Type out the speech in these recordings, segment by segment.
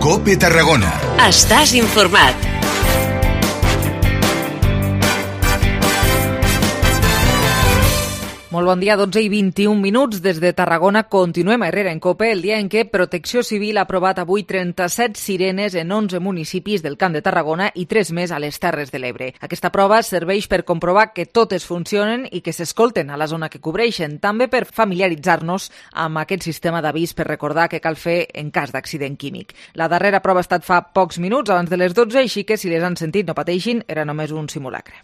COPE Tarragona. Estàs informat. Molt bon dia, 12 i 21 minuts. Des de Tarragona continuem a Herrera en COPE, el dia en què Protecció Civil ha aprovat avui 37 sirenes en 11 municipis del Camp de Tarragona i 3 més a les Terres de l'Ebre. Aquesta prova serveix per comprovar que totes funcionen i que s'escolten a la zona que cobreixen, també per familiaritzar-nos amb aquest sistema d'avís per recordar què cal fer en cas d'accident químic. La darrera prova ha estat fa pocs minuts, abans de les 12, així que si les han sentit no pateixin, era només un simulacre.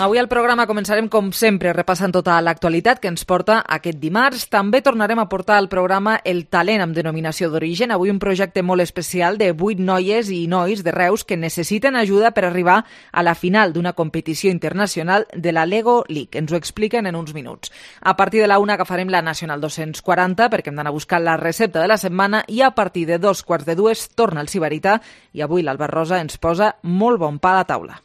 Avui al programa començarem, com sempre, repassant tota l'actualitat que ens porta aquest dimarts. També tornarem a portar al programa el talent amb denominació d'origen. Avui un projecte molt especial de 8 noies i nois de Reus que necessiten ajuda per arribar a la final d'una competició internacional de la Lego League. Ens ho expliquen en uns minuts. A partir de la 1 agafarem la Nacional 240 perquè hem d'anar a buscar la recepta de la setmana i a partir de 2:45 torna el Sibarita i avui l'Albert Rosa ens posa molt bon pa a la taula.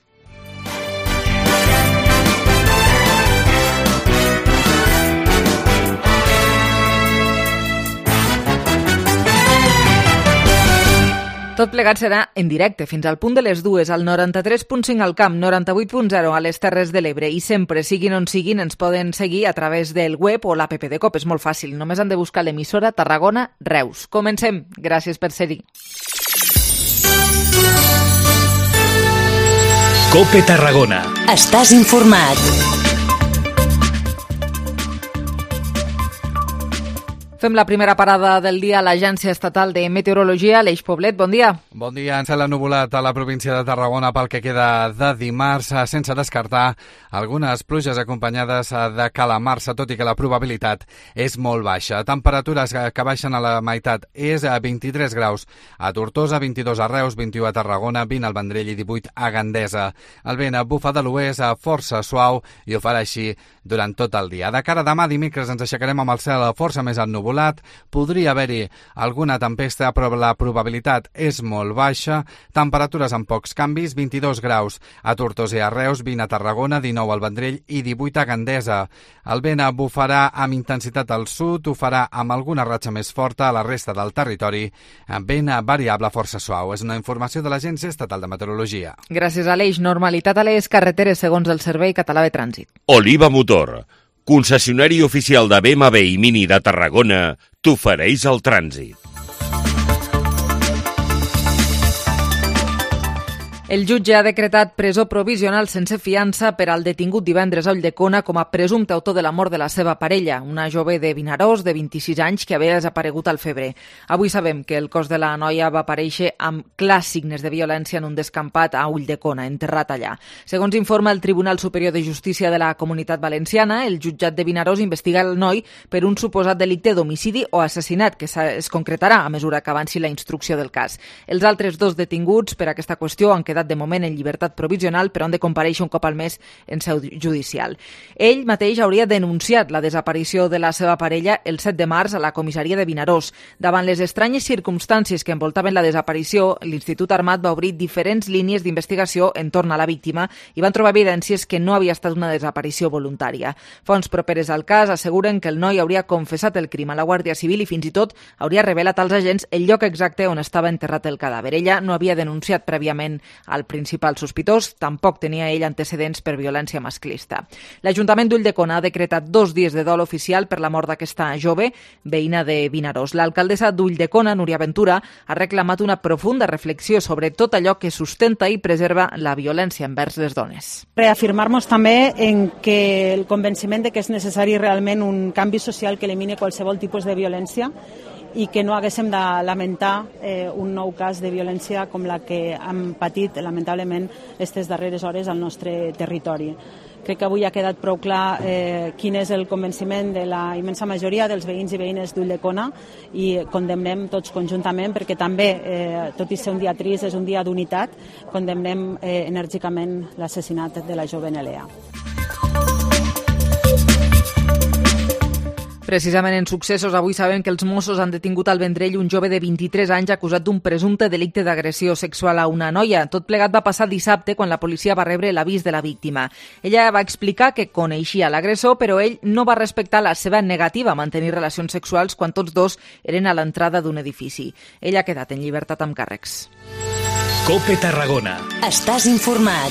Tot plegat serà en directe fins al punt de les 2 al 93.5 al Camp, 98.0 a les Terres de l'Ebre i sempre, siguin on siguin, ens poden seguir a través del web o l'app de COPE. És molt fàcil, només han de buscar l'emissora Tarragona Reus. Comencem. Gràcies per ser-hi. COPE Tarragona. Estàs informat. Fem la primera parada del dia a l'Agència Estatal de Meteorologia. Aleix Poblet, bon dia. Bon dia. En cel ennuvolat a la província de Tarragona pel que queda de dimarts, sense descartar algunes pluges acompanyades de calamarsa, tot i que la probabilitat és molt baixa. Temperatures que baixen a la meitat és a 23 graus a Tortosa, 22 a Reus, 21 a Tarragona, 20 al Vendrell i 18 a Gandesa. El vent bufa de l'oest força suau i ho farà així durant tot el dia. De cara a demà dimecres ens aixecarem amb el cel força més ennuvolat. Podria haver-hi alguna tempesta, però la probabilitat és molt baixa. Temperatures amb pocs canvis, 22 graus a Tortosa i a Reus, 20 a Tarragona, 19 al Vendrell i 18 a Gandesa. El vent bufarà amb intensitat al sud, ho farà amb alguna ratxa més forta a la resta del territori, amb vent variable força suau. És una informació de l'Agència Estatal de Meteorologia. Gràcies, Aleix. Normalitat a les carreteres segons el Servei Català de Trànsit. Oliva Motor, concessionari oficial de BMW i Mini de Tarragona, t'ofereix el trànsit. El jutge ha decretat presó provisional sense fiança per al detingut divendres a Ulldecona com a presumpte autor de la mort de la seva parella, una jove de Vinaròs de 26 anys que havia desaparegut al febrer. Avui sabem que el cos de la noia va aparèixer amb clars signes de violència en un descampat a Ulldecona, enterrat allà. Segons informa el Tribunal Superior de Justícia de la Comunitat Valenciana, el jutjat de Vinaròs investiga el noi per un suposat delicte d'homicidi o assassinat, que es concretarà a mesura que avanci la instrucció del cas. Els altres dos detinguts per aquesta qüestió han quedat de moment en llibertat provisional, però han de comparèixer un cop al mes en seu judicial. Ell mateix hauria denunciat la desaparició de la seva parella el 7 de març a la comissaria de Vinaròs. Davant les estranyes circumstàncies que envoltaven la desaparició, l'Institut Armat va obrir diferents línies d'investigació entorn a la víctima i van trobar evidències que no havia estat una desaparició voluntària. Fonts properes al cas asseguren que el noi hauria confessat el crim a la Guàrdia Civil i fins i tot hauria revelat als agents el lloc exacte on estava enterrat el cadàver. Ella no havia denunciat prèviament al principal sospitós, tampoc tenia ell antecedents per violència masclista. L'Ajuntament d'Ulldecona ha decretat 2 dies de dol oficial per la mort d'aquesta jove, veïna de Vinaròs. L'alcaldessa d'Ulldecona, Núria Ventura, ha reclamat una profunda reflexió sobre tot allò que sustenta i preserva la violència envers les dones. Reafirmar-nos també en que el convenciment de que és necessari realment un canvi social que elimini qualsevol tipus de violència i que no haguéssim de lamentar un nou cas de violència com la que hem patit, lamentablement, aquestes darreres hores al nostre territori. Crec que avui ha quedat prou clar quin és el convenciment de la immensa majoria dels veïns i veïnes d'Ulldecona i condemnem tots conjuntament perquè també, tot i ser un dia trist, és un dia d'unitat, condemnem enèrgicament l'assassinat de la jove Nelea. Precisament en successos, avui sabem que els Mossos han detingut al Vendrell un jove de 23 anys acusat d'un presumpte delicte d'agressió sexual a una noia. Tot plegat va passar dissabte quan la policia va rebre l'avís de la víctima. Ella va explicar que coneixia l'agressor, però ell no va respectar la seva negativa a mantenir relacions sexuals quan tots dos eren a l'entrada d'un edifici. Ell ha quedat en llibertat amb càrrecs. COPE Tarragona. Estàs informat.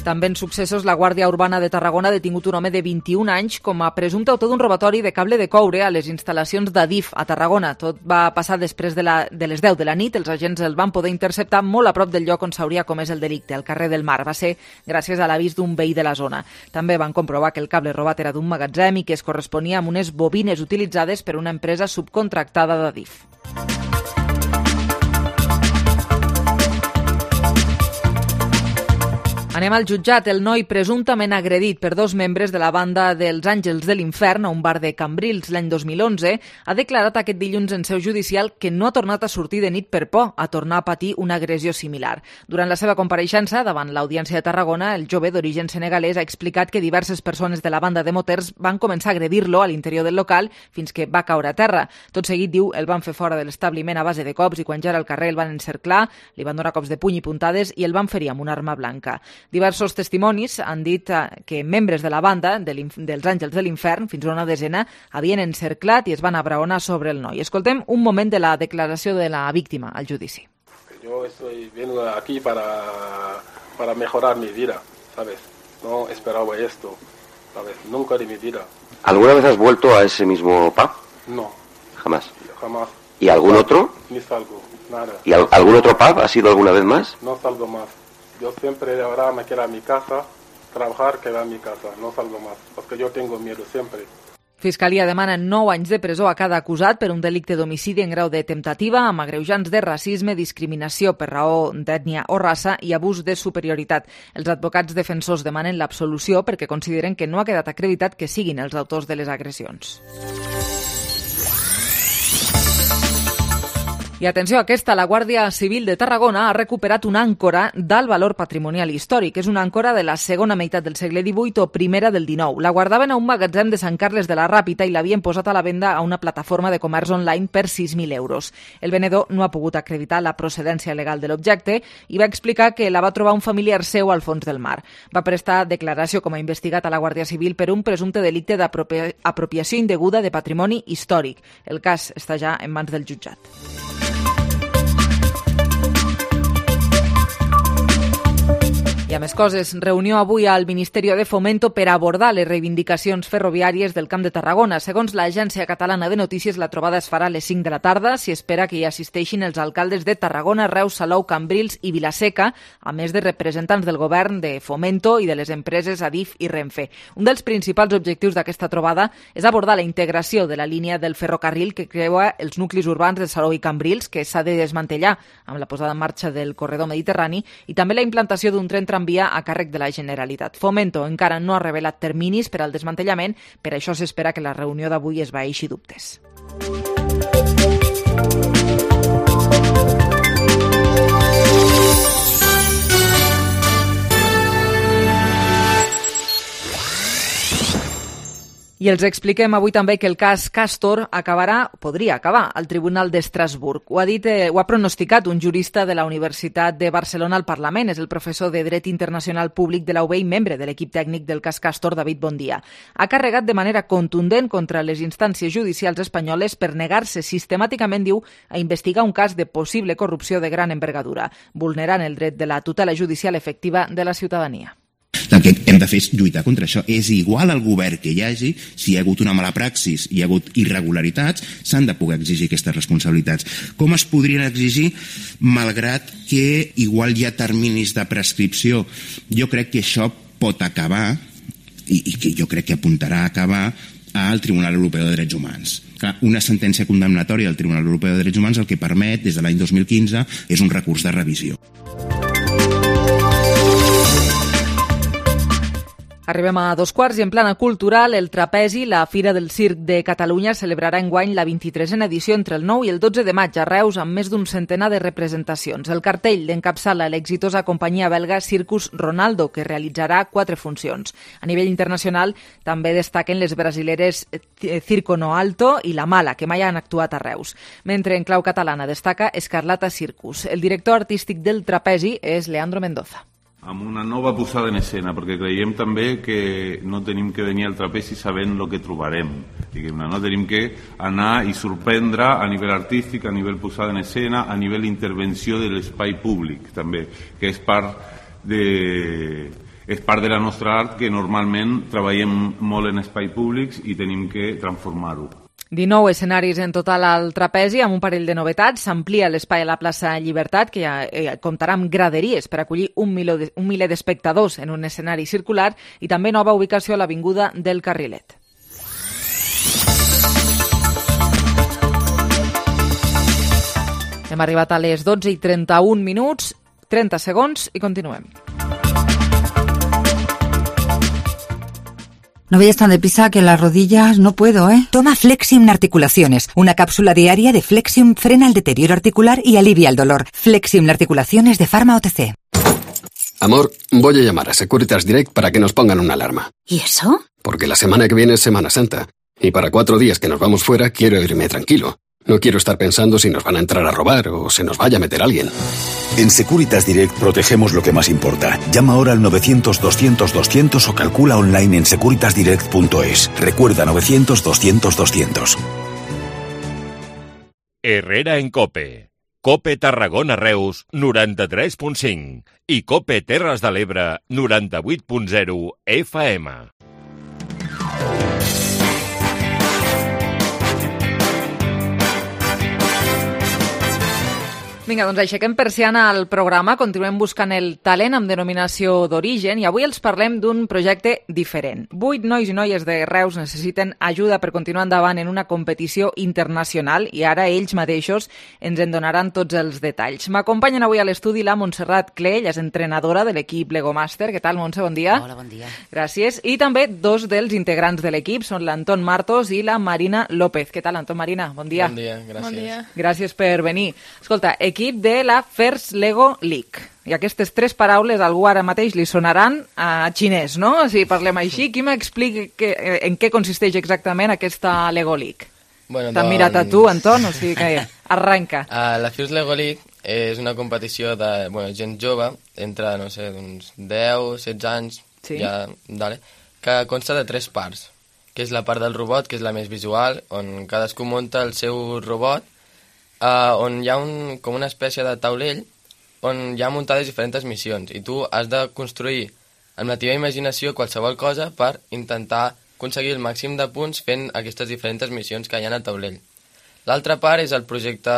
També en successos, la Guàrdia Urbana de Tarragona ha detingut un home de 21 anys com a presumpte autor d'un robatori de cable de coure a les instal·lacions d'Adif a Tarragona. Tot va passar després de les 10 de la nit. Els agents el van poder interceptar molt a prop del lloc on s'hauria comès el delicte, al carrer del Mar. Va ser gràcies a l'avís d'un veí de la zona. També van comprovar que el cable robat era d'un magatzem i que es corresponia amb unes bobines utilitzades per una empresa subcontractada d'Adif. Anem al jutjat. El noi presumptament agredit per dos membres de la banda dels Àngels de l'Infern a un bar de Cambrils l'any 2011 ha declarat aquest dilluns en seu judicial que no ha tornat a sortir de nit per por a tornar a patir una agressió similar. Durant la seva compareixença davant l'Audiència de Tarragona, el jove d'origen senegalès ha explicat que diverses persones de la banda de moters van començar a agredir-lo a l'interior del local fins que va caure a terra. Tot seguit, diu, el van fer fora de l'establiment a base de cops i quan ja era al carrer el van encerclar, li van donar cops de puny i puntades i el van ferir amb una arma blanca. Diversos testimonis han dit que membres de la banda dels Àngels de l'Infern, fins a una desena, havien encerclat i es van abraonar sobre el noi. Escoltem un moment de la declaració de la víctima al judici. Yo vengo aquí para mejorar mi vida, ¿sabes? No esperaba esto, ¿sabes? Nunca de mi vida. ¿Alguna vez has vuelto a ese mismo pub? No. Jamás. Jamás. ¿Y algún otro? Ni salgo, nada. ¿Y algún otro pub has ido alguna vez más? No salgo más. Yo siempre ahora me quedo en mi casa, trabajar, quedar en mi casa, no salgo más, porque yo tengo miedo siempre. Fiscalia demana 9 anys de presó a cada acusat per un delicte d'homicidi en grau de temptativa amb agreujants de racisme, discriminació per raó d'ètnia o raça i abús de superioritat. Els advocats defensors demanen l'absolució perquè consideren que no ha quedat acreditat que siguin els autors de les agressions. I atenció a aquesta, la Guàrdia Civil de Tarragona ha recuperat una àncora d'alt valor patrimonial històric. És una àncora de la segona meitat del segle XVIII o primera del XIX. La guardaven a un magatzem de Sant Carles de la Ràpita i l'havien posat a la venda a una plataforma de comerç online per 6.000 euros. El venedor no ha pogut acreditar la procedència legal de l'objecte i va explicar que la va trobar un familiar seu al fons del mar. Va prestar declaració com a investigat a la Guàrdia Civil per un presumpte delicte d'apropiació indeguda de patrimoni històric. El cas està ja en mans del jutjat. I a més coses, reunió avui al Ministeri de Fomento per abordar les reivindicacions ferroviàries del Camp de Tarragona. Segons l'Agència Catalana de Notícies, la trobada es farà a les 5 de la tarda. S'hi espera que hi assisteixin els alcaldes de Tarragona, Reus, Salou, Cambrils i Vilaseca, a més de representants del govern, de Fomento i de les empreses Adif i Renfe. Un dels principals objectius d'aquesta trobada és abordar la integració de la línia del ferrocarril que creua els nuclis urbans de Salou i Cambrils, que s'ha de desmantellar amb la posada en marxa del corredor mediterrani, i també la implantació d'un tren tramvia a càrrec de la Generalitat. Fomento encara no ha revelat terminis per al desmantellament, per això s'espera que la reunió d'avui esvaeixi dubtes. I els expliquem avui també que el cas Castor podria acabar al Tribunal d'Estrasburg. Ho ha pronosticat un jurista de la Universitat de Barcelona al Parlament. És el professor de Dret Internacional Públic de la UB i membre de l'equip tècnic del cas Castor, David Bondia. Ha carregat de manera contundent contra les instàncies judicials espanyoles per negar-se sistemàticament, diu, a investigar un cas de possible corrupció de gran envergadura, vulnerant el dret de la tutela judicial efectiva de la ciutadania. El que hem de fer és lluitar contra això. És igual al govern que hi hagi, si hi ha hagut una mala praxis, hi ha hagut irregularitats, s'han de poder exigir aquestes responsabilitats. Com es podrien exigir, malgrat que igual hi ha terminis de prescripció? Jo crec que això pot acabar, i que jo crec que apuntarà a acabar, al Tribunal Europeu de Drets Humans. Una sentència condemnatòria del Tribunal Europeu de Drets Humans el que permet, des de l'any 2015, és un recurs de revisió. Arribem a 2:15 i en plana cultural, el Trapezi, la Fira del Circ de Catalunya, celebrarà enguany la 23a edició entre el 9 i el 12 de maig a Reus amb més d'un centenar de representacions. El cartell encapçala l'exitosa companyia belga Circus Ronaldo, que realitzarà 4 funcions. A nivell internacional també destaquen les brasileres Circo No Alto i La Mala, que mai han actuat a Reus. Mentre en clau catalana destaca Escarlata Circus. El director artístic del Trapezi és Leandro Mendoza. Amb una nova posada en escena, perquè creiem també que no tenim que venir al trapezi sabent el que trobarem. Diguem-ne, no tenim que anar i sorprendre a nivell artístic, a nivell posada en escena, a nivell intervenció de l'espai públic, també, que és part de la nostra art, que normalment treballem molt en espai públics i tenim que transformar-ho. 19 escenaris en total al Trapezi, amb un parell de novetats. S'amplia l'espai a la plaça Llibertat, que ja comptarà amb graderies per acollir un miler d'espectadors en un escenari circular, i també nova ubicació a l'Avinguda del Carrilet. Hem arribat a les 12:31, 30 segons i continuem. No vayas tan deprisa que las rodillas no puedo, ¿eh? Toma Flexium Articulaciones. Una cápsula diaria de Flexium frena el deterioro articular y alivia el dolor. Flexium Articulaciones de Pharma OTC. Amor, voy a llamar a Securitas Direct para que nos pongan una alarma. ¿Y eso? Porque la semana que viene es Semana Santa. Y para 4 días que nos vamos fuera quiero irme tranquilo. No quiero estar pensando si nos van a entrar a robar o se nos vaya a meter alguien. En Securitas Direct protegemos lo que más importa. Llama ahora al 900-200-200 o calcula online en securitasdirect.es. Recuerda 900-200-200. Herrera en COPE. COPE Tarragona Reus 93.5 i COPE Terres de l'Ebre 98.0 FM. Vinga, doncs aixequem persiana al programa, continuem buscant el talent amb denominació d'origen i avui els parlem d'un projecte diferent. 8 nois i noies de Reus necessiten ajuda per continuar endavant en una competició internacional i ara ells mateixos ens en donaran tots els detalls. M'acompanyen avui a l'estudi la Montserrat Clell, és entrenadora de l'equip Lego Master. Què tal, Montse? Bon dia. Hola, bon dia. Gràcies. I també dos dels integrants de l'equip són l'Anton Martos i la Marina López. Què tal, Anton, Marina? Bon dia. Bon dia, gràcies. Bon dia. Gràcies per venir. Escolta, equip de la First Lego League. I aquestes 3 paraules a algú ara mateix li sonaran a xinès, no? Si parlem així, qui m'explica en què consisteix exactament aquesta Lego League? Bueno, T'han mirat a tu, Anton? O sigui que arranca. La First Lego League és una competició de gent jove, entre, no sé, uns 10, 16 anys, sí. Que consta de 3 parts, que és la part del robot, que és la més visual, on cadascú munta el seu robot, on hi ha com una espècie de taulell on hi ha muntades diferents missions i tu has de construir amb la teva imaginació qualsevol cosa per intentar aconseguir el màxim de punts fent aquestes diferents missions que hi ha al taulell. L'altra part és el projecte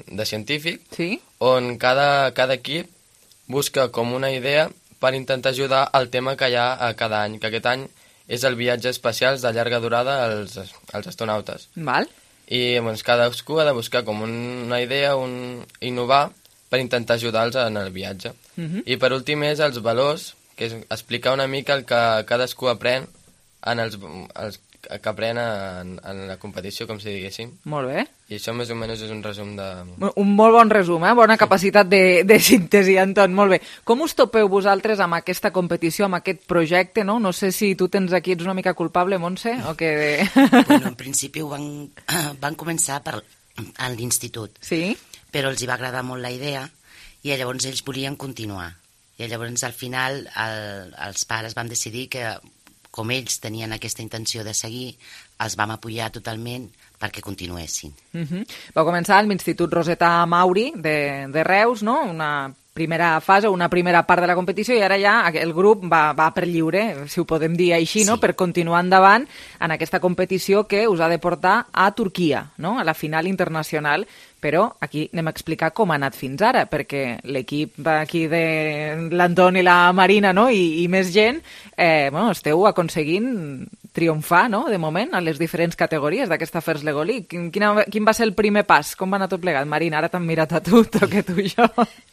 de científic, sí? On cada equip busca com una idea per intentar ajudar al tema que hi ha a cada any, que aquest any és el viatge espacials de llarga durada als astronautes. Val. I doncs, cadascú ha de buscar com una idea, innovar per intentar ajudar-los en el viatge. I per últim és els valors, que és explicar una mica el que cadascú aprèn que aprèn en la competició, com si diguéssim. Molt bé. I això més o menys és un resum de... Un molt bon resum, bona capacitat de síntesi, Anton, molt bé. Com us topeu vosaltres amb aquesta competició, amb aquest projecte, no? No sé si tu tens aquí, ets una mica culpable, Montse, o que... Bueno, en principi van començar a l'institut, sí? Però els hi va agradar molt la idea i llavors ells volien continuar. I llavors al final els pares vam decidir que com ells tenien aquesta intenció de seguir, els vam apoyar totalment perquè continuessin. Va començar a l'Institut Roseta Mauri de Reus, no? Una primera fase, una primera part de la competició, i ara ja el grup va per lliure, si ho podem dir així, no? Per continuar endavant en aquesta competició que us ha de portar a Turquia, no? A la final internacional. Però aquí anem a explicar com ha anat fins ara, perquè l'equip aquí de l'Anton i la Marina, no? I més gent, esteu aconseguint triomfar, no?, de moment, a les diferents categories d'aquesta First Lego League. Quin va ser el primer pas? Com va anar tot plegat? Marina, ara t'han mirat a tu, toque tu i jo.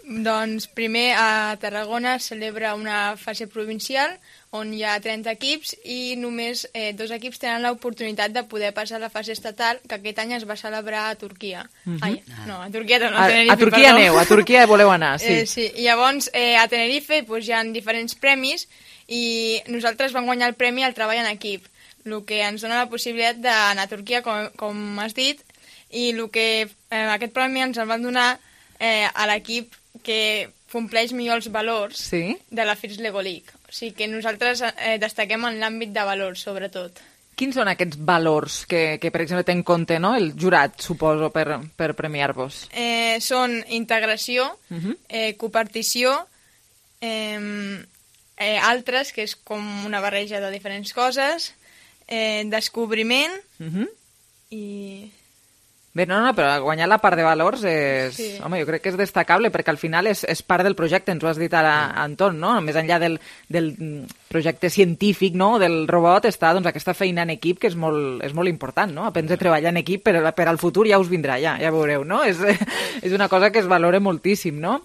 Doncs primer a Tarragona es celebra una fase provincial on hi ha 30 equips i només 2 equips tenen l'oportunitat de poder passar a la fase estatal, que aquest any es va celebrar a Turquia. Ai, no, a Turquia no, a Tenerife, a Turquia aneu, a Turquia voleu anar, sí. Sí, i llavors a Tenerife hi ha diferents premis i nosaltres vam guanyar el premi al treball en equip, el que ens dona la possibilitat d'anar a Turquia, com has dit, i aquest premi ens el van donar a l'equip que compleix millor els valors de la First Lego League. O sigui que nosaltres destaquem en l'àmbit de valors, sobretot. Quins són aquests valors que per exemple, té en compte, no?, el jurat, suposo, per premiar-vos? Són integració, copartició, altres, que és com una barreja de diferents coses, descobriment i... Bé, no, però guanyar la part de valors és... Sí. Home, jo crec que és destacable, perquè al final és part del projecte, ens ho has dit ara, Anton, no? Més enllà del projecte científic, no?, del robot, està doncs, aquesta feina en equip, que és molt important, no? Aprendre a treballar en equip per al futur ja us vindrà, ja veureu, no? És una cosa que es valora moltíssim, no?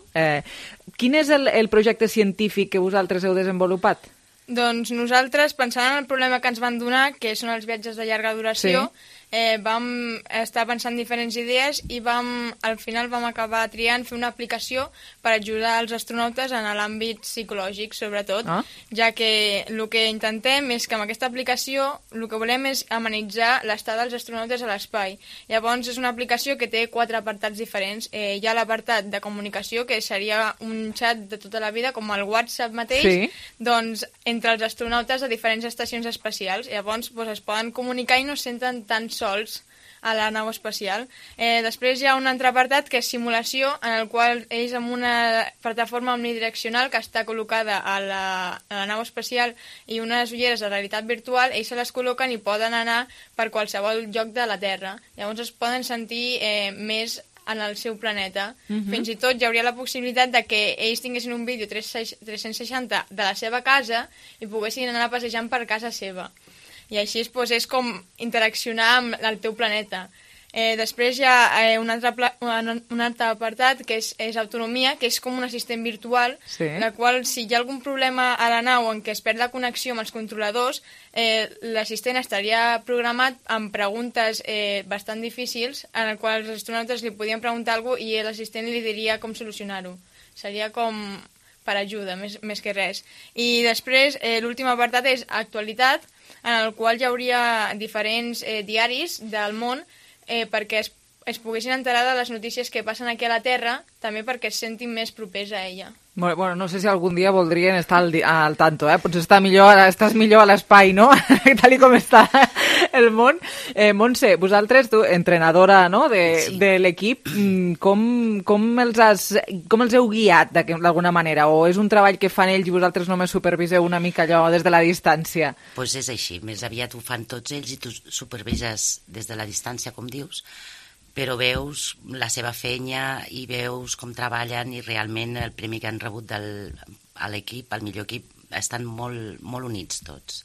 Quin és el projecte científic que vosaltres heu desenvolupat? Doncs nosaltres, pensant en el problema que ens van donar, que són els viatges de llarga duració, vam estar pensant diferents idees i al final vam acabar triant fer una aplicació per ajudar els astronautes en l'àmbit psicològic, sobretot, ja que el que intentem és que amb aquesta aplicació el que volem és amenitzar l'estada dels astronautes a l'espai. Llavors és una aplicació que té 4 apartats diferents. Hi ha l'apartat de comunicació, que seria un xat de tota la vida, com el WhatsApp mateix, doncs entre els astronautes a diferents estacions espacials. Llavors es poden comunicar i no es senten tan sols a la nau espacial. Després hi ha un altre apartat que és simulació, en el qual ells amb una plataforma omnidireccional que està col·locada a la nau espacial i unes ulleres de realitat virtual, ells se les col·loquen i poden anar per qualsevol lloc de la Terra. Llavors es poden sentir més en el seu planeta. Fins i tot hi hauria la possibilitat de que ells tinguessin un vídeo 360 de la seva casa i poguessin anar passejant per casa seva. I així és com interaccionar amb el teu planeta. Després hi ha un altre apartat que és autonomia, que és com un assistent virtual, la qual si hi ha algun problema a la nau en què es perd la connexió amb els controladors, l'assistent estaria programat amb preguntes bastant difícils, en el qual els astronautes li podien preguntar alguna cosa i l'assistent li diria com solucionar-ho. Seria com per ajuda, més que res. I després l'últim apartat és actualitat, en el qual hi hauria diferents diaris del món perquè es poguessin enterar de les notícies que passen aquí a la Terra, també perquè es sentin més propers a ella. Bueno, no sé si algun dia voldrien estar al tanto, potser estàs millor a l'espai, no? Tal com està el món. Montse, vosaltres, tu, entrenadora, no?, de l'equip, com els heu guiat d'alguna manera? O és un treball que fan ells i vosaltres només superviseu una mica allò des de la distància? Doncs és així, més aviat ho fan tots ells i tu supervises des de la distància, com dius, però veus la seva feina i veus com treballen i realment el premi que han rebut a l'equip, el millor equip, estan molt, molt units tots.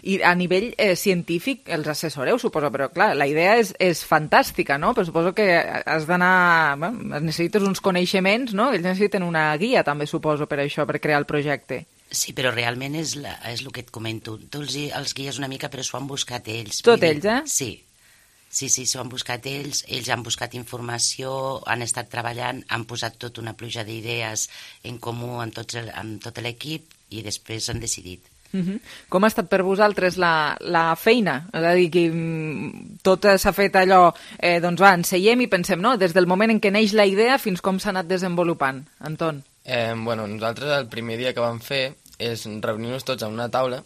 I a nivell científic els assessoreu, suposo, però clar, la idea és fantàstica, no? Però suposo que has d'anar... necessites uns coneixements, no? Ells necessiten una guia, també, suposo, per això, per crear el projecte. Sí, però realment és el que et comento. Tu els guies una mica, però s'ho han buscat ells. Tot ells, Sí. Sí, s'ho han buscat ells han buscat informació, han estat treballant, han posat tota una pluja d'idees en comú amb tot l'equip i després han decidit. Com ha estat per vosaltres la feina? És a dir, que tot s'ha fet allò, doncs va, ens seiem i pensem, no?, des del moment en què neix la idea fins com s'ha anat desenvolupant. Anton? Nosaltres el primer dia que vam fer és reunir-nos tots a una taula,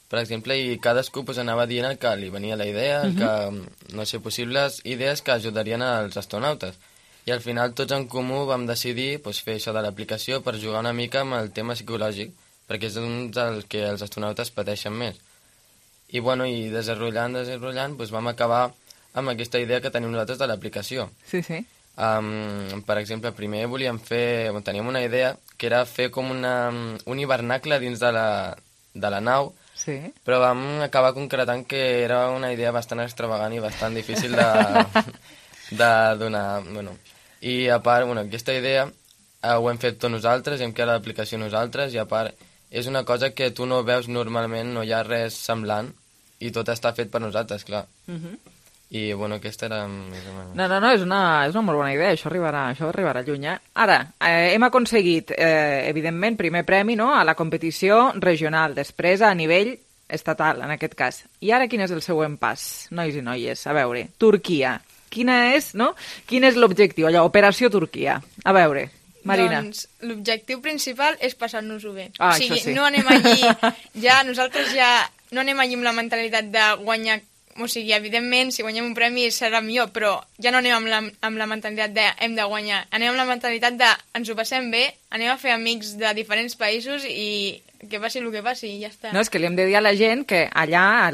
per exemple, i cadascú anava dient el que li venia la idea, possibles idees que ajudarien als astronautes. I al final tots en comú vam decidir fer això de l'aplicació per jugar una mica amb el tema psicològic, perquè és un del que els astronautes pateixen més. I desenrotllant, vam acabar amb aquesta idea que tenim nosaltres de l'aplicació. Sí. Per exemple, primer teníem una idea que era fer com un hivernacle dins de la nau, Sí. Però vam acabar concretant que era una idea bastant extravagant i bastant difícil de donar... Bueno. I a part, aquesta idea ho hem fet tots nosaltres, hem creat l'aplicació nosaltres, i a part és una cosa que tu no veus normalment, no hi ha res semblant, i tot està fet per nosaltres, clar. I, aquesta era... No, és una molt bona idea, això arribarà lluny. Ara, hem aconseguit, evidentment, primer premi, no?, a la competició regional, després a nivell estatal, en aquest cas. I ara quin és el següent pas, nois i noies? A veure, Turquia. Quin és l'objectiu, allò, Operació Turquia? A veure, Marina. Doncs l'objectiu principal és passar-nos-ho bé. O sigui, això sí. No anem allí, nosaltres no anem allí amb la mentalitat de guanyar. O sigui, evidentment, si guanyem un premi serà millor, però ja no anem amb la mentalitat de hem de guanyar. Anem amb la mentalitat de ens ho passem bé, anem a fer amics de diferents països i que passi el que passi i ja està. No, és que li hem de dir a la gent que allà,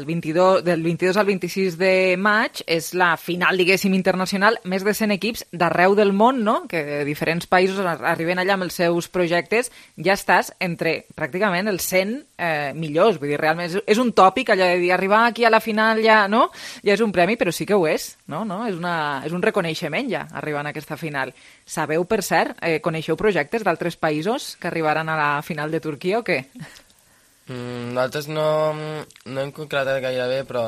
del 22 al 26 de maig, és la final, diguéssim, internacional, més de 100 equips d'arreu del món, no?, que de diferents països arriben allà amb els seus projectes, ja estàs entre pràcticament els 100 millors. Vull dir, realment és un tòpic allò de dir arribar aquí a la final ja, no?, ja és un premi, però sí que ho és, no? És un reconeixement ja, arribar a aquesta final. Sabeu, per cert, coneixeu projectes d'altres països que arribaran a la final de Turquia o què? Nosaltres no hem concretat gaire bé, però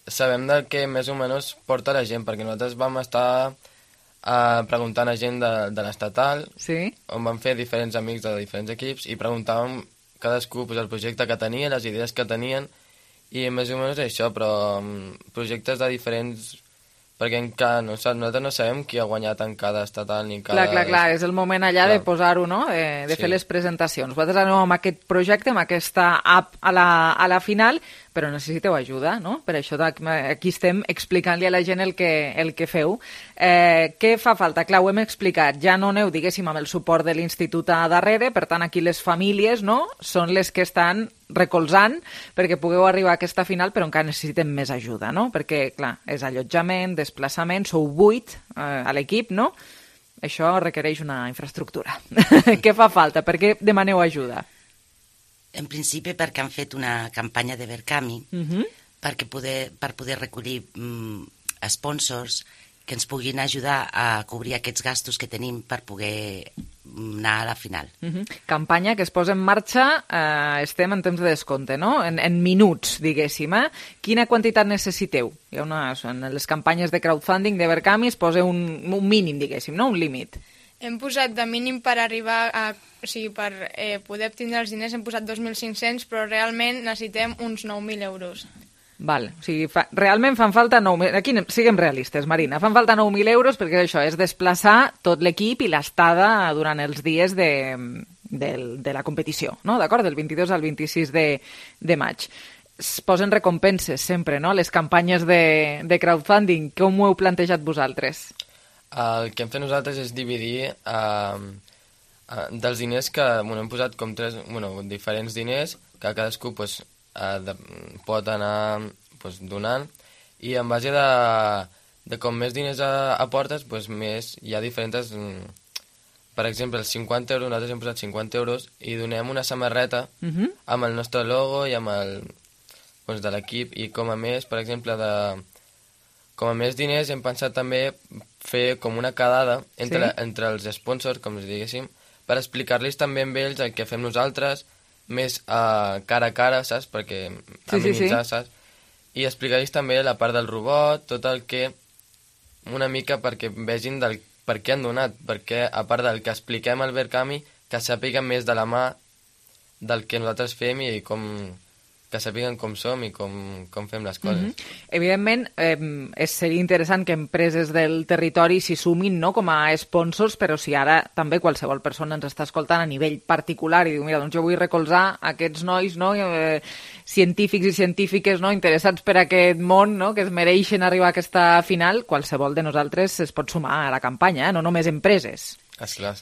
sabem del que més o menys porta la gent, perquè nosaltres vam estar preguntant a gent de l'estatal, on vam fer diferents amics de diferents equips, i preguntàvem cadascú el projecte que tenia, les idees que tenien, i més o menys això, però projectes de diferents... perquè nosaltres no sabem qui ha guanyat en cada estatal ni en cada... Clar, és el moment allà de posar-ho, no?, de fer les presentacions. Vosaltres anem amb aquest projecte, amb aquesta app a la final, però necessiteu ajuda, no? Per això aquí estem explicant-li a la gent el que feu. Què fa falta? Clar, ho hem explicat. Ja no aneu, diguéssim, amb el suport de l'institut a darrere, per tant, aquí les famílies, no?, són les que estan recolzant perquè pugueu arribar a aquesta final, però encara necessitem més ajuda, no? Perquè, clar, és allotjament, desplaçament, sou 8 a l'equip, no? Això requereix una infraestructura. Què fa falta? Per què demaneu ajuda? En principi perquè han fet una campanya de Verkami per poder recollir sponsors que ens puguin ajudar a cobrir aquests gastos que tenim per poder anar a la final. Campanya que es posa en marxa, estem en temps de descompte, no? En minuts, diguéssim. Quina quantitat necessiteu? En les campanyes de crowdfunding de Verkami es posa un mínim, diguéssim, no? Un límit. Hem posat de mínim per arribar a... O sigui, per poder obtindre els diners hem posat 2.500, però realment necessitem uns 9.000 euros. Val, o sigui, realment fan falta 9.000... Aquí siguem realistes, Marina. Fan falta 9.000 euros perquè això és desplaçar tot l'equip i l'estada durant els dies de la competició, no? D'acord? Del 22 al 26 de maig. Es posen recompenses sempre, no? Les campanyes de crowdfunding. Com ho heu plantejat vosaltres? El que hem fet nosaltres és dividir dels diners que hem posat com diferents diners que cadascú pot anar donant, i en base de com més diners aportes, més hi ha diferents... Per exemple, els 50 euros, nosaltres hem posat 50 euros i donem una samarreta amb el nostre logo i amb el de l'equip, i com a més, per exemple, com a més diners hem pensat també fer com una quedada entre els sponsors, com si diguéssim, per explicar-los també amb ells el que fem nosaltres, més cara a cara, saps? Perquè amenitzar, saps? I explicar-los també la part del robot, tot el que... Una mica perquè vegin per què han donat, perquè a part del que expliquem al Verkami, que sàpiguen més de la mà del que nosaltres fem i que sàpiguen com som i com fem les coses. Evidentment, seria interessant que empreses del territori s'hi sumin, no?, com a sponsors, però si ara també qualsevol persona ens està escoltant a nivell particular i diu, mira, doncs jo vull recolzar aquests nois, no?, científics i científiques, no?, interessats per aquest món, no?, que es mereixen arribar a aquesta final, qualsevol de nosaltres es pot sumar a la campanya, no només empreses. Esclar.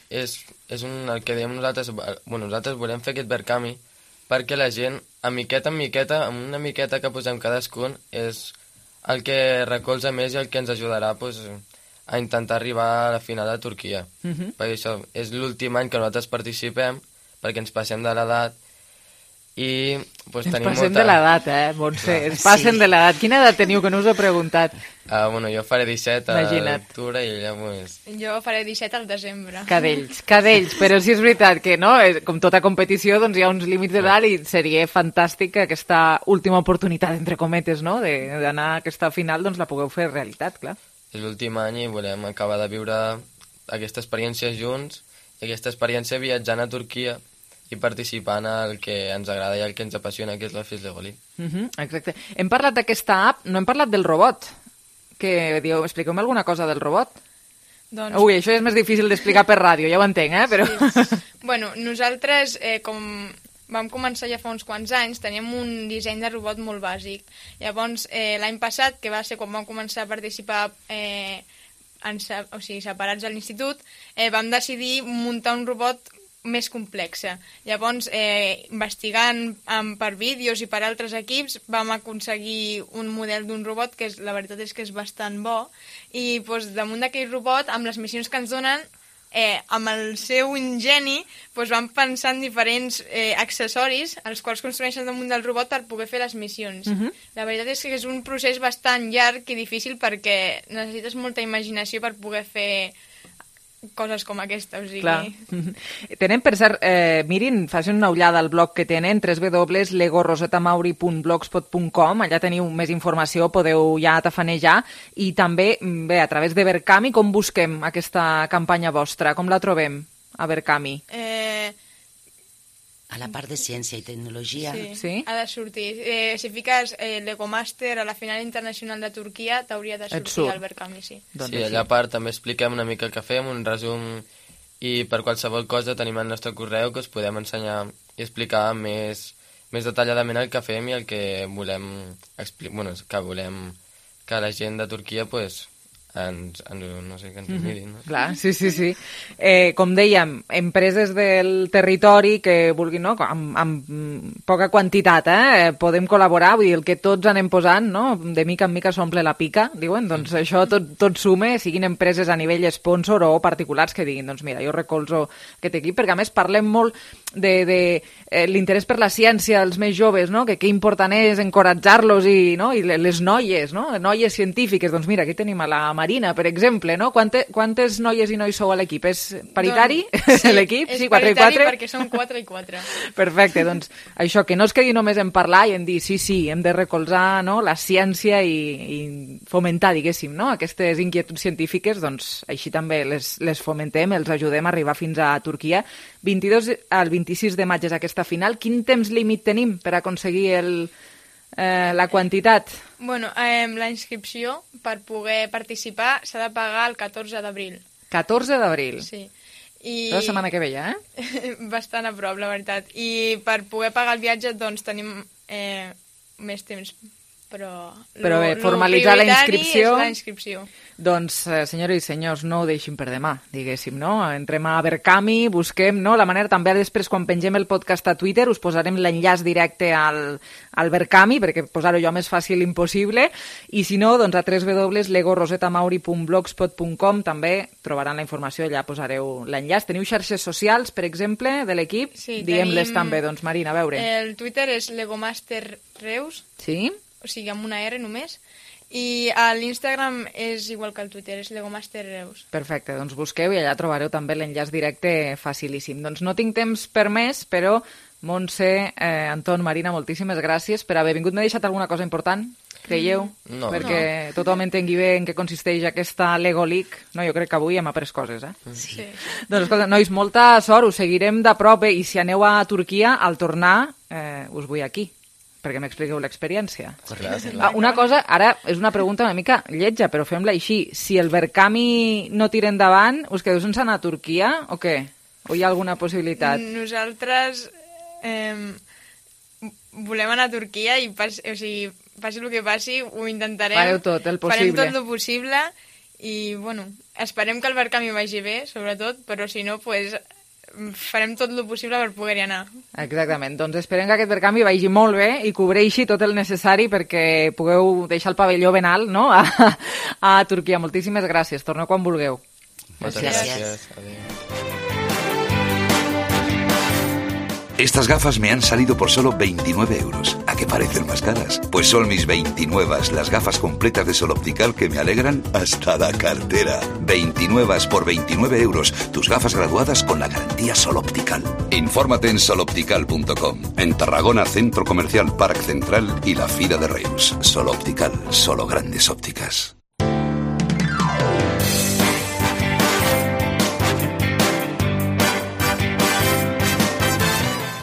És el que diem nosaltres. Nosaltres volem fer aquest Verkami perquè la gent, a miqueta en miqueta, amb una miqueta que posem cadascun, és el que recolza més i el que ens ajudarà a intentar arribar a la final de Turquia. Perquè això és l'últim any que nosaltres participem, perquè ens passem de l'edat, I pues, Ens tenim passem de l'edat, Montse, ens passen de l'edat. Quina edat teniu, que no us he preguntat? Bueno, jo faré 17 a l'octubre i ella pues... Jo faré 17 al desembre. Cadells, però sí és veritat que no, com tota competició doncs hi ha uns límits d'edat i seria fantàstic aquesta última oportunitat, entre cometes, no? D'anar a aquesta final, doncs la pugueu fer realitat, clar. És l'últim any i volem acabar de viure aquesta experiència junts i aquesta experiència viatjant a Turquia i participant al que ens agrada i al que ens apassiona, que és la FIS Lego League. Exacte. Hem parlat d'aquesta app, no hem parlat del robot. Que diu, expliqueu-me alguna cosa del robot? Doncs... Ui, això és més difícil d'explicar per ràdio, ja ho entenc, però... Sí. Bueno, nosaltres, com vam començar ja fa uns quants anys, teníem un disseny de robot molt bàsic. Llavors, l'any passat, que va ser quan vam començar a participar separats a l'institut, vam decidir muntar un robot més complexa. Llavors, investigant per vídeos i per altres equips, vam aconseguir un model d'un robot que la veritat és que és bastant bo i damunt d'aquell robot, amb les missions que ens donen, amb el seu ingeni, vam pensar en diferents accessoris els quals construeixen damunt del robot per poder fer les missions. La veritat és que és un procés bastant llarg i difícil perquè necessites molta imaginació per poder fer coses com aquesta, o sigui... Clar. Tenen, per cert, mirin, facin una ullada al blog que tenen, www.legorosetamauri.blogspot.com, allà teniu més informació, podeu ja tafanejar, i també, bé, a través de Verkami, com busquem aquesta campanya vostra? Com la trobem, a Verkami? A la part de ciència i tecnologia. Sí? Ha de sortir. Si fiques Lego Master a la final internacional de Turquia, t'hauria de sortir al Verkami, sí. Sí, allà a part també expliquem una mica el que fem, un resum, i per qualsevol cosa tenim el nostre correu que us podem ensenyar i explicar més detalladament el que fem i el que volem que la gent de Turquia ens mirin. No? Clar, sí. Com dèiem, empreses del territori que vulguin, no? amb poca quantitat, podem col·laborar, vull dir, el que tots anem posant, no? De mica en mica s'omple la pica, diuen, doncs això tot sume, siguin empreses a nivell sponsor o particulars que diguin, doncs mira, jo recolzo aquest equip, perquè a més parlem molt de l'interès per la ciència als més joves, no? Que important és encoratjar-los i les noies, no? Noies científiques, doncs mira, aquí tenim a la Marina, per exemple, no? Quantes noies i nois sou a l'equip? És paritari, l'equip? Sí, és 4 i 4? paritari perquè són 4 i 4. Perfecte, doncs això, que no es quedi només en parlar i en dir sí, hem de recolzar, no? La ciència i fomentar, diguéssim, no? Aquestes inquietuds científiques, doncs així també les fomentem, els ajudem a arribar fins a Turquia. 22 al 26 de maig és aquesta final. Quin temps límit tenim per aconseguir la quantitat? Bueno, la inscripció per poder participar s'ha de pagar el 14 d'abril. 14 d'abril? Sí. La setmana que ve ja, Bastant a prop, la veritat. I per poder pagar el viatge, doncs, tenim més temps. Però bé, formalitzar la inscripció... és la inscripció. Doncs, senyores i senyors, no ho deixin per demà, diguéssim, no? Entrem a Verkami, busquem, no? La manera també després, quan pengem el podcast a Twitter, us posarem l'enllaç directe al Verkami, perquè posar-ho jo més fàcil impossible, i si no, doncs a www.legorosetamauri.blogspot.com també trobaran la informació, allà posareu l'enllaç. Teniu xarxes socials, per exemple, de l'equip? Sí, diguem-les també, doncs, Marina, a veure. El Twitter és Legomaster Reus. Sí? O sigui, amb una R només, i l'Instagram és igual que el Twitter, és Legomaster Reus. Perfecte, doncs busqueu i allà trobareu també l'enllaç directe facilíssim. Doncs no tinc temps per més, però Montse, Anton, Marina, moltíssimes gràcies per haver vingut. M'he deixat alguna cosa important, creieu? No. Perquè tothom entengui bé en què consisteix aquesta Lego League. No, jo crec que avui hem après coses, Sí. Doncs escolta, nois, molta sort, us seguirem de prop, i si aneu a Turquia, al tornar, us vull aquí, perquè m'expliqueu l'experiència. Una cosa, ara és una pregunta una mica lletja, però fem-la així. Si el Verkami no tira endavant, us quedeu sense anar a Turquia o què? O hi ha alguna possibilitat? Nosaltres volem anar a Turquia i passi el que passi, ho intentarem. Fareu tot el possible. Farem tot el possible i, bueno, esperem que el Verkami vagi bé, sobretot, però si no, pues, farem tot el possible per poder-hi anar. Exactament, doncs esperem que aquest Verkami vagi molt bé i cobreixi tot el necessari perquè pugueu deixar el pavelló ben alt, no? a Turquia. Moltíssimes gràcies, torneu quan vulgueu. Moltes gràcies. Adéu. Estas gafas me han salido por solo 29 euros. ¿A qué parecen más caras? Pues son mis 29, las gafas completas de Sol Optical que me alegran hasta la cartera. 29 por 29 euros. Tus gafas graduadas con la garantía Sol Optical. Infórmate en soloptical.com. En Tarragona, Centro Comercial Parc Central y la Fira de Reus. Sol Optical, solo grandes ópticas.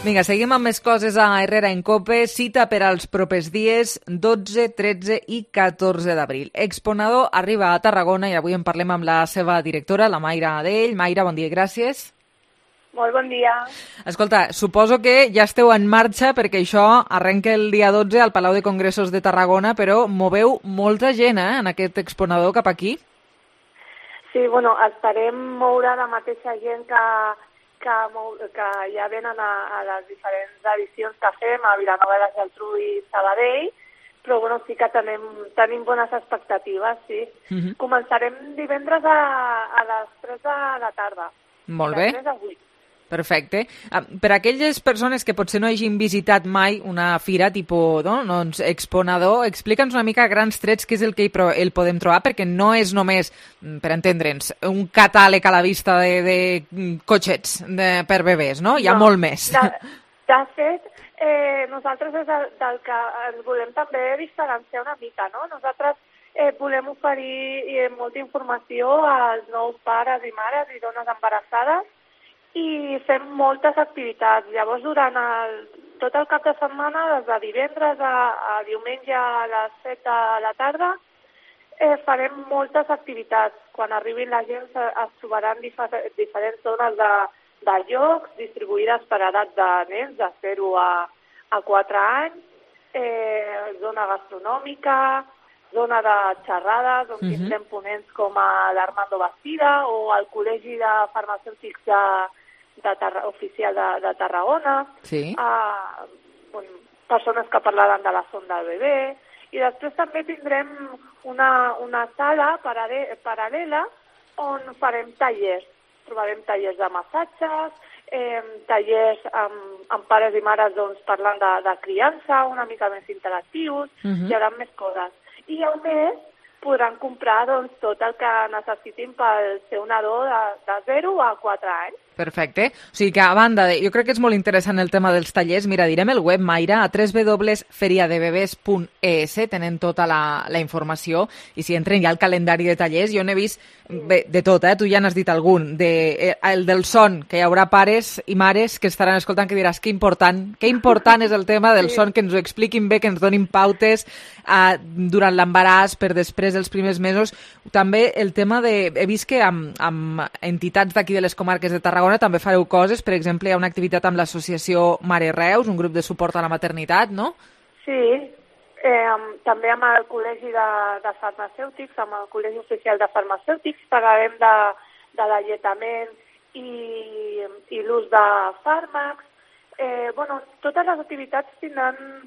Vinga, seguim amb més coses a Herrera en Cope. Cita per als propers dies 12, 13 i 14 d'abril. Exponador arriba a Tarragona i avui en parlem amb la seva directora, la Mayra Adell. Mayra, bon dia i gràcies. Molt bon dia. Escolta, suposo que ja esteu en marxa perquè això arrenca el dia 12 al Palau de Congressos de Tarragona, però moveu molta gent en aquest exponador cap aquí. Sí, bueno, esperem moure la mateixa gent que ja venen a les diferents edicions que fem a Vilanova i la Geltrú i Sabadell, però bueno, sí que tenim bones expectatives, sí. Començarem divendres a les 3 de la tarda. Molt bé. De 3 a 8. Perfecte. Per a aquelles persones que potser no hagin visitat mai una fira tipus exponador, explica'ns una mica a grans trets què és el que el podem trobar, perquè no és només, per entendre'ns, un catàleg a la vista de cotxets per bebès, no? Hi ha molt més. De fet, nosaltres és del que ens volem també diferenciar una mica, no? Nosaltres volem oferir molta informació als nous pares i mares i dones embarassades i fem moltes activitats. Llavors, durant tot el cap de setmana, des de divendres a diumenge a les 7 de la tarda, farem moltes activitats. Quan arribin la gent es trobaran diferents zones de jocs distribuïdes per edat de nens de 0 a 4 anys, zona gastronòmica, zona de xerrades, on tindrem ponents com l'Armando Bastida o el Col·legi de Farmacèutics oficial de Tarragona, sí. Persones que parlaran de la sonda del bebè, i després també tindrem una sala paral·lela on farem tallers. Trobarem tallers de massatges, tallers amb pares i mares parlant de criança, una mica més interactius, hi haurà més coses. I a més podran comprar tot el que necessitin pel seu nadó de 0 a 4 anys. Perfecte. O sigui que, a banda jo crec que és molt interessant el tema dels tallers. Mira, direm el web, Mayra, a www.feriadebebes.es, tenen tota la informació, i si entren ja al calendari de tallers, jo n'he vist de tot, tu ja n'has dit algun, el del son, que hi haurà pares i mares que estaran escoltant, que diràs, que important és el tema del son, que ens ho expliquin bé, que ens donin pautes durant l'embaràs, per després dels primers mesos. També el tema he vist que amb entitats d'aquí de les comarques de Tarragona també fareu coses, per exemple, hi ha una activitat amb l'associació Mare Reus, un grup de suport a la maternitat, no? Sí, també amb el Col·legi de Farmacèutics, amb el Col·legi Oficial de Farmacèutics, parlarem de l'alletament i l'ús de fàrmacs. Totes les activitats tindran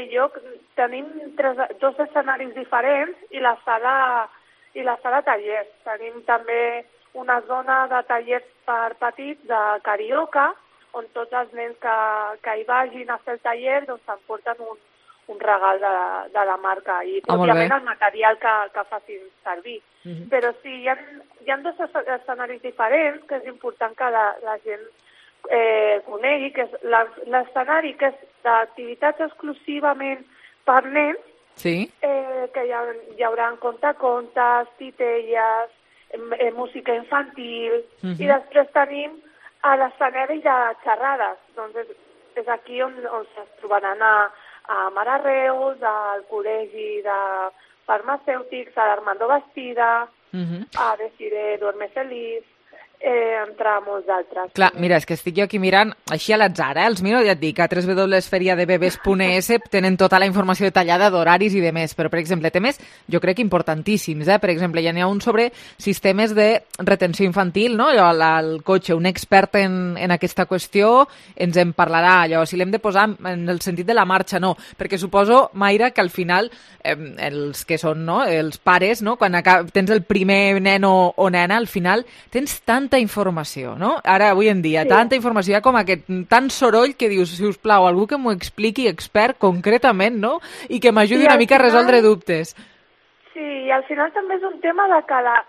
lloc. Tenim 2 escenaris diferents i la sala tallers. Tenim també una zona de tallers per petits de carioca, on tots els nens que hi vagin a fer el taller s'emporten un regal de la marca i, òbviament, el material que facin servir. Però sí, hi ha 2 escenaris diferents que és important que la gent conegui, que és l'escenari que és d'activitats exclusivament per nens, sí. Que hi haurà contacontes, titelles, música infantil, i després tenim l'escenari de xerrades. Doncs és aquí on es trobaran a Mare Reus, al Col·legi de Farmacèutics, a l'Armando Bastida, a Desiree Duerme Feliz, entre molts d'altres. Clar, mira, és que estic jo aquí mirant així a l'atzar, els miro, ja et dic, a www.feriadebebes.es tenen tota la informació detallada d'horaris i de més, però, per exemple, temes, jo crec, importantíssims, Per exemple, ja n'hi ha un sobre sistemes de retenció infantil, no? El cotxe, un expert en aquesta qüestió, ens en parlarà, allò, si l'hem de posar en el sentit de la marxa, no, perquè suposo, Mayra, que al final, els que són, no?, els pares, no?, quan tens el primer nen o nena, al final tens tanta tanta informació, no? Ara, avui en dia, tanta informació, hi ha com aquest tant soroll que dius, si us plau, algú que m'ho expliqui expert concretament, no? I que m'ajudi una mica a resoldre dubtes. Sí, i al final també és un tema de que la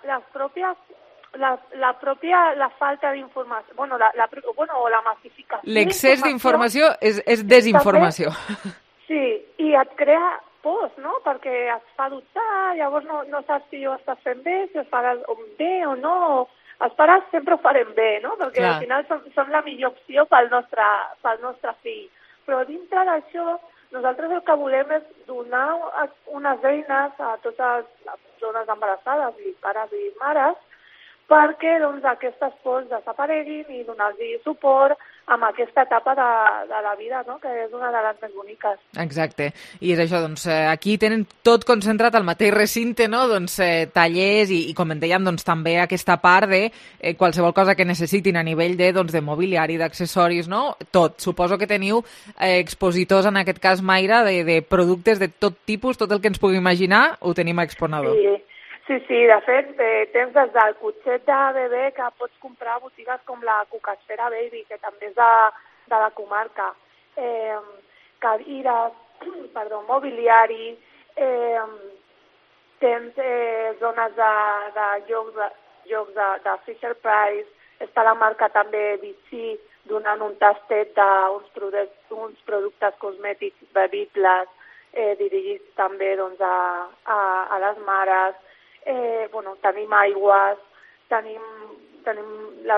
falta d'informació, o la massificació... L'excés d'informació és desinformació. També, sí, i et crea pors, no? Perquè et fa dubtar, llavors no saps si ho estàs fent bé, si ho faràs bé o no. Els pares sempre ho farem bé, no? Perquè al final som la millor opció pel nostre fill. Però dintre d'això, nosaltres el que volem és donar unes eines a totes les dones embarassades i pares i mares perquè aquestes pors desapareguin i donar-los suport amb aquesta etapa de la vida, no? Que és una de les més boniques. Exacte. I és això, doncs, aquí tenen tot concentrat al mateix recinte, no? Doncs tallers i com en dèiem, doncs, també aquesta part de qualsevol cosa que necessitin a nivell de mobiliari, d'accessoris, no? Tot. Suposo que teniu expositors, en aquest cas, Mayra, de productes de tot tipus, tot el que ens pugui imaginar, ho tenim a Exponador. Sí, de fet, tens des del cotxet de bebè que pots comprar a botigues com la Cucasfera Baby, que també és de la comarca, cadires, mobiliari, tens zones de jocs de Fisher Price, està la marca també Vichy donant un tastet d'uns productes cosmètics bevibles dirigits també a les mares. Tenim aigües, la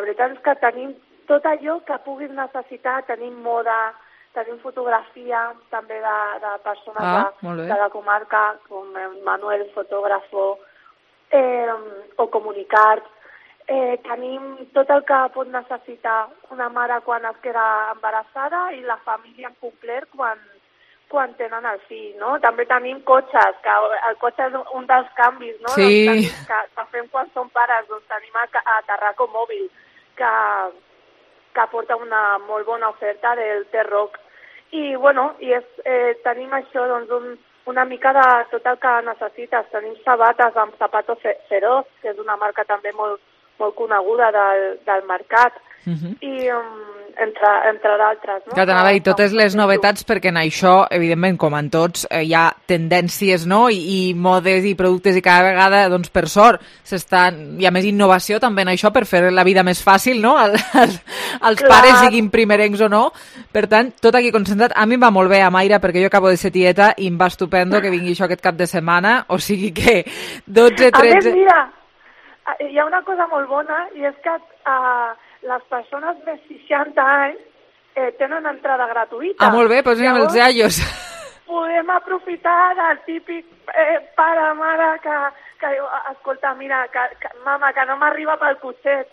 veritat és que tenim tot allò que puguis necessitar, tenim moda, tenim fotografia també de persones de la comarca, com Manuel, fotògrafo, o comunicats. Tenim tot el que pot necessitar una mare quan es queda embarassada i la família en complet quan tenen el fill, no? També tenim cotxes, que el cotxe és un dels canvis, no? Sí. Que fem quan som pares, doncs tenim a Tarraco Mòbil, que porta una molt bona oferta del T-Rock. I tenim això, doncs, una mica de tot el que necessites. Tenim sabates amb Zapato Feroz, que és una marca també molt coneguda del mercat, i entre d'altres. No? Clar, t'anava a dir totes les novetats, perquè en això, evidentment, com en tots, hi ha tendències, no? I modes i productes, i cada vegada, doncs, per sort, hi ha més innovació també en això per fer la vida més fàcil, no? als pares, siguin primerencs o no. Per tant, tot aquí concentrat. A mi em va molt bé, Mayra, perquè jo acabo de ser tieta i em va estupendo que vingui això aquest cap de setmana, o sigui que 12, 13... A més, mira, hi ha una cosa molt bona, i és que les persones més 60 anys tenen entrada gratuïta. Molt bé, posem els iaios. Podem aprofitar del típic pare, mare, que diu, escolta, mira, mama, que no m'arriba pel cotxet,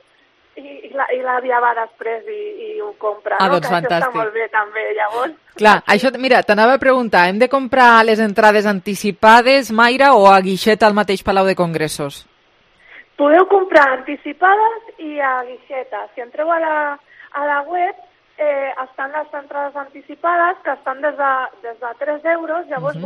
i l'àvia va després i ho compra, no? Doncs que fantàstic. Això està molt bé, també, llavors. Clar, això, mira, t'anava a preguntar, hem de comprar les entrades anticipades, Mayra, o a guixeta al mateix Palau de Congressos? Podeu comprar anticipades i a guixeta. Si entreu a la web, estan les entrades anticipades, que estan des de 3 euros, llavors,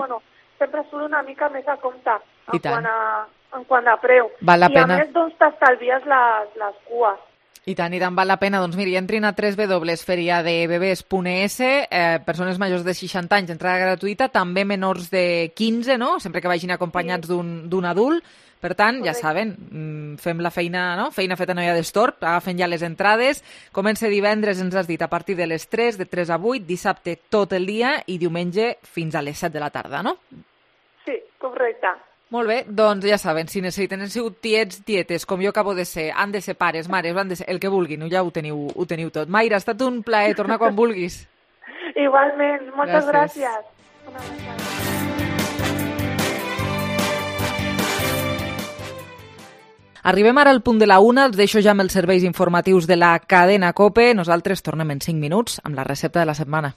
sempre surt una mica més a compte en quant a preu. Val la pena. I a més, doncs, t'estalvies les cues. I tant val la pena. Doncs miri, entrin a www.feriadebebes.es, persones majors de 60 anys, entrada gratuïta, també menors de 15, no? Sempre que vagin acompanyats d'un adult. Per tant, ja saben, fem la feina, no? Feina feta no hi ha d'estorb, agafen ja les entrades. Comença divendres, ens has dit, a partir de les 3, de 3 a 8, dissabte tot el dia i diumenge fins a les 7 de la tarda, no? Sí, correcte. Molt bé, doncs ja saben, si necessiten, han sigut tiets, tietes, com jo acabo de ser, han de ser pares, mares, han de ser el que vulguin, ja ho teniu tot. Mayra, ha estat un plaer, torna quan vulguis. Igualment, moltes gràcies. Una abraçada. Arribem ara al punt de la 1, els deixo ja amb els serveis informatius de la cadena COPE. Nosaltres tornem en 5 minuts amb la recepta de la setmana.